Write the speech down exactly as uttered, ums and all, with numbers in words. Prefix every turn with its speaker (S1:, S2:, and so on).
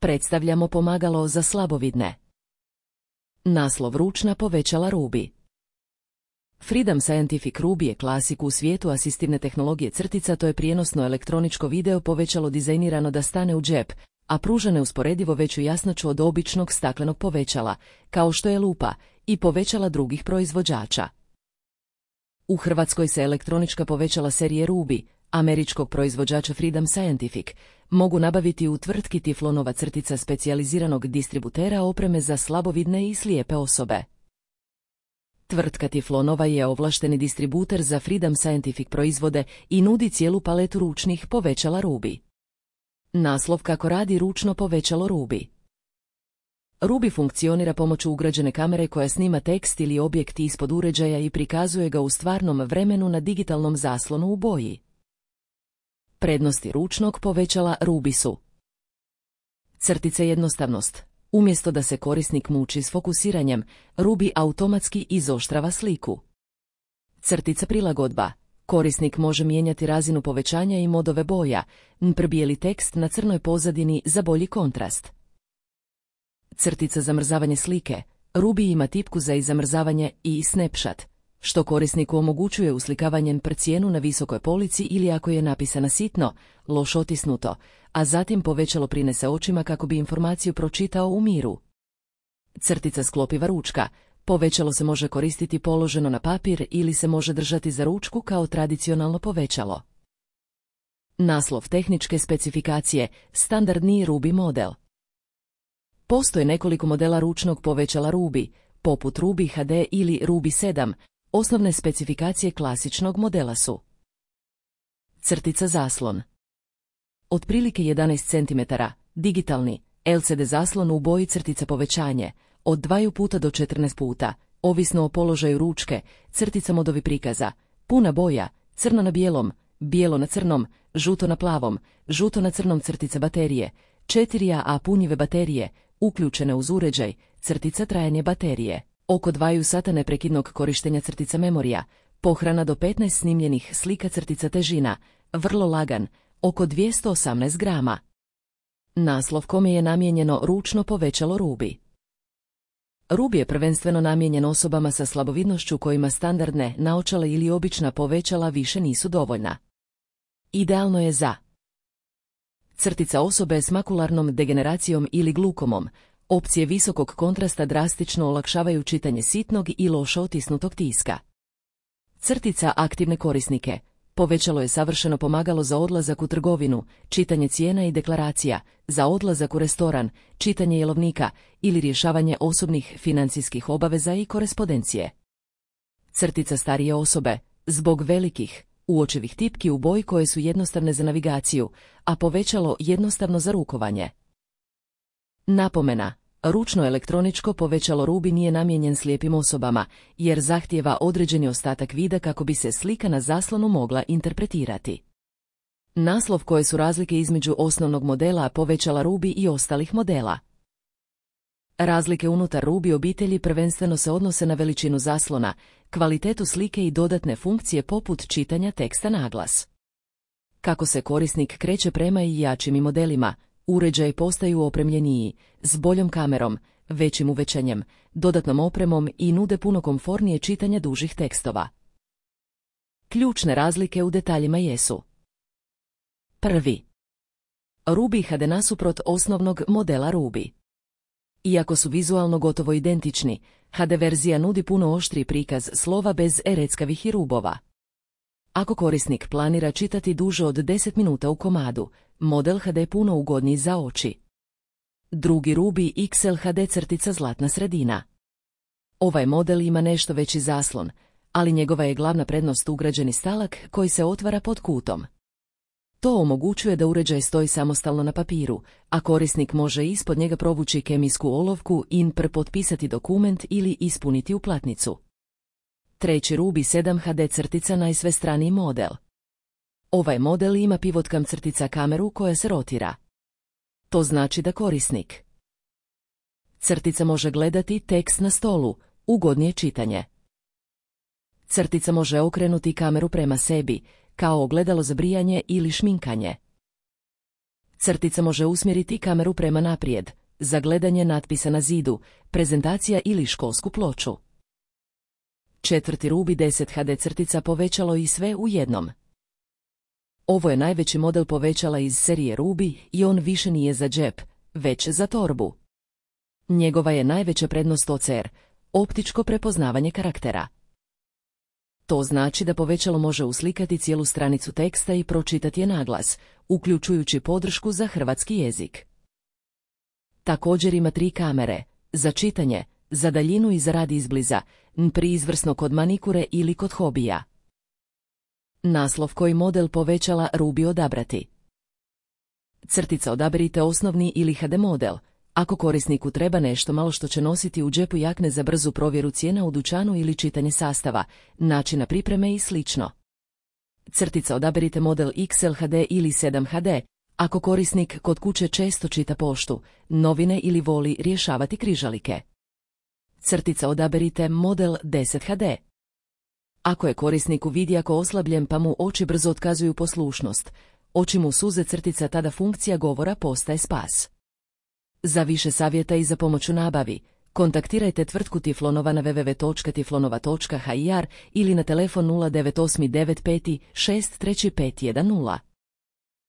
S1: Predstavljamo pomagalo za slabovidne. Naslov: ručna povećala Ruby. Freedom Scientific Ruby je klasik u svijetu asistivne tehnologije crtica, to je prijenosno elektroničko video povećalo dizajnirano da stane u džep, a pruža neusporedivo veću jasnoću od običnog staklenog povećala, kao što je lupa, i povećala drugih proizvođača. U Hrvatskoj se elektronička povećala serije Ruby, američkog proizvođača Freedom Scientific, mogu nabaviti u tvrtki Tiflonova crtica, specijaliziranog distributera opreme za slabovidne i slijepe osobe. Tvrtka Tiflonova je ovlašteni distributer za Freedom Scientific proizvode i nudi cijelu paletu ručnih povećala Ruby. Naslov: kako radi ručno povećalo Ruby. Ruby funkcionira pomoću ugrađene kamere koja snima tekst ili objekt ispod uređaja i prikazuje ga u stvarnom vremenu na digitalnom zaslonu u boji. Prednosti ručnog povećala Ruby su: crtice jednostavnost. Umjesto da se korisnik muči s fokusiranjem, Ruby automatski izoštrava sliku. Crtica prilagodba. Korisnik može mijenjati razinu povećanja i modove boja, npr. bijeli tekst na crnoj pozadini za bolji kontrast. Crtica zamrzavanje slike. Ruby ima tipku za izamrzavanje i snapshot, što korisniku omogućuje uslikavanje npr. cijenu na visokoj polici ili ako je napisana sitno, loš otisnuto, a zatim povećalo prinese očima kako bi informaciju pročitao u miru. Crtica sklopiva ručka. Povećalo se može koristiti položeno na papir ili se može držati za ručku kao tradicionalno povećalo. Naslov: tehničke specifikacije, standardni Ruby model. Postoje nekoliko modela ručnog povećala Ruby, poput Ruby H D ili Ruby sedam, osnovne specifikacije klasičnog modela su: crtica zaslon. Otprilike jedanaest centimetara, digitalni, L C D zaslon u boji, crtica povećanje, od dva puta do četrnaest puta, ovisno o položaju ručke, crtica modovi prikaza, puna boja, crno na bijelom, bijelo na crnom, žuto na plavom, žuto na crnom, crtica baterije, četiri A A punjive baterije, uključene uz uređaj, crtica trajanje baterije, oko dva sata neprekidnog korištenja, crtica memorija, pohrana do petnaest snimljenih slika, crtica težina, vrlo lagan, oko dvjesto osamnaest grama. Naslov: kome je namijenjeno ručno povećalo Ruby. Ruby je prvenstveno namijenjen osobama sa slabovidnošću kojima standardne, naočale ili obična povećala više nisu dovoljna. Idealno je za crtica osobe s makularnom degeneracijom ili glukomom. Opcije visokog kontrasta drastično olakšavaju čitanje sitnog i loše otisnutog tiska. Crtica aktivne korisnike. Povećalo je savršeno pomagalo za odlazak u trgovinu, čitanje cijena i deklaracija, za odlazak u restoran, čitanje jelovnika ili rješavanje osobnih financijskih obaveza i korespondencije. Crtica starije osobe. Zbog velikih, uočivih tipki u boji koje su jednostavne za navigaciju, a povećalo jednostavno za rukovanje. Napomena: ručno elektroničko povećalo Ruby nije namijenjen slijepim osobama, jer zahtijeva određeni ostatak vida kako bi se slika na zaslonu mogla interpretirati. Naslov: koje su razlike između osnovnog modela povećala Ruby i ostalih modela. Razlike unutar Ruby obitelji prvenstveno se odnose na veličinu zaslona, kvalitetu slike i dodatne funkcije poput čitanja teksta na glas. Kako se korisnik kreće prema i jačim modelima, uređaji postaju opremljeniji, s boljom kamerom, većim uvećanjem, dodatnom opremom i nude puno komfornije čitanje dužih tekstova. Ključne razlike u detaljima jesu: prvi. Ruby H D nasuprot osnovnog modela Ruby. Iako su vizualno gotovo identični, H D verzija nudi puno oštriji prikaz slova bez ereckavih i rubova. Ako korisnik planira čitati duže od deset minuta u komadu, model H D puno ugodniji za oči. Drugi Ruby X L H D crtica zlatna sredina. Ovaj model ima nešto veći zaslon, ali njegova je glavna prednost ugrađeni stalak koji se otvara pod kutom. To omogućuje da uređaj stoji samostalno na papiru, a korisnik može ispod njega provući kemijsku olovku i potpisati dokument ili ispuniti uplatnicu. Treći Ruby sedam H D crtica najsvestraniji model. Ovaj model ima pivotkam crtica kameru koja se rotira. To znači da korisnik crtica može gledati tekst na stolu, ugodnije čitanje. Crtica može okrenuti kameru prema sebi, kao ogledalo za brijanje ili šminkanje. Crtica može usmjeriti kameru prema naprijed, za gledanje natpisa na zidu, prezentacija ili školsku ploču. Četvrti Ruby deset H D crtica povećalo i sve u jednom. Ovo je najveći model povećala iz serije Ruby i on više nije za džep, već za torbu. Njegova je najveća prednost O C R, optičko prepoznavanje karaktera. To znači da povećalo može uslikati cijelu stranicu teksta i pročitati je naglas, uključujući podršku za hrvatski jezik. Također ima tri kamere, za čitanje, za daljinu i za rad izbliza, priizvrsno kod manikure ili kod hobija. Naslov koji model povećala Ruby odabrati. Crtica odaberite osnovni ili H D model, ako korisniku treba nešto malo što će nositi u džepu jakne za brzu provjeru cijena u dućanu ili čitanje sastava, načina pripreme i slično. Crtica odaberite model X L H D ili sedam H D, ako korisnik kod kuće često čita poštu, novine ili voli rješavati križalike. Crtica odaberite model deset H D. Ako je korisniku vidjako oslabljen pa mu oči brzo otkazuju poslušnost, oči mu suze crtica tada funkcija govora postaje spas. Za više savjeta i za pomoć u nabavi, kontaktirajte tvrtku Tiflonova na w w w točka tiflonova točka h i r ili na telefon nula devet osam devet pet šest tri pet jedan nula.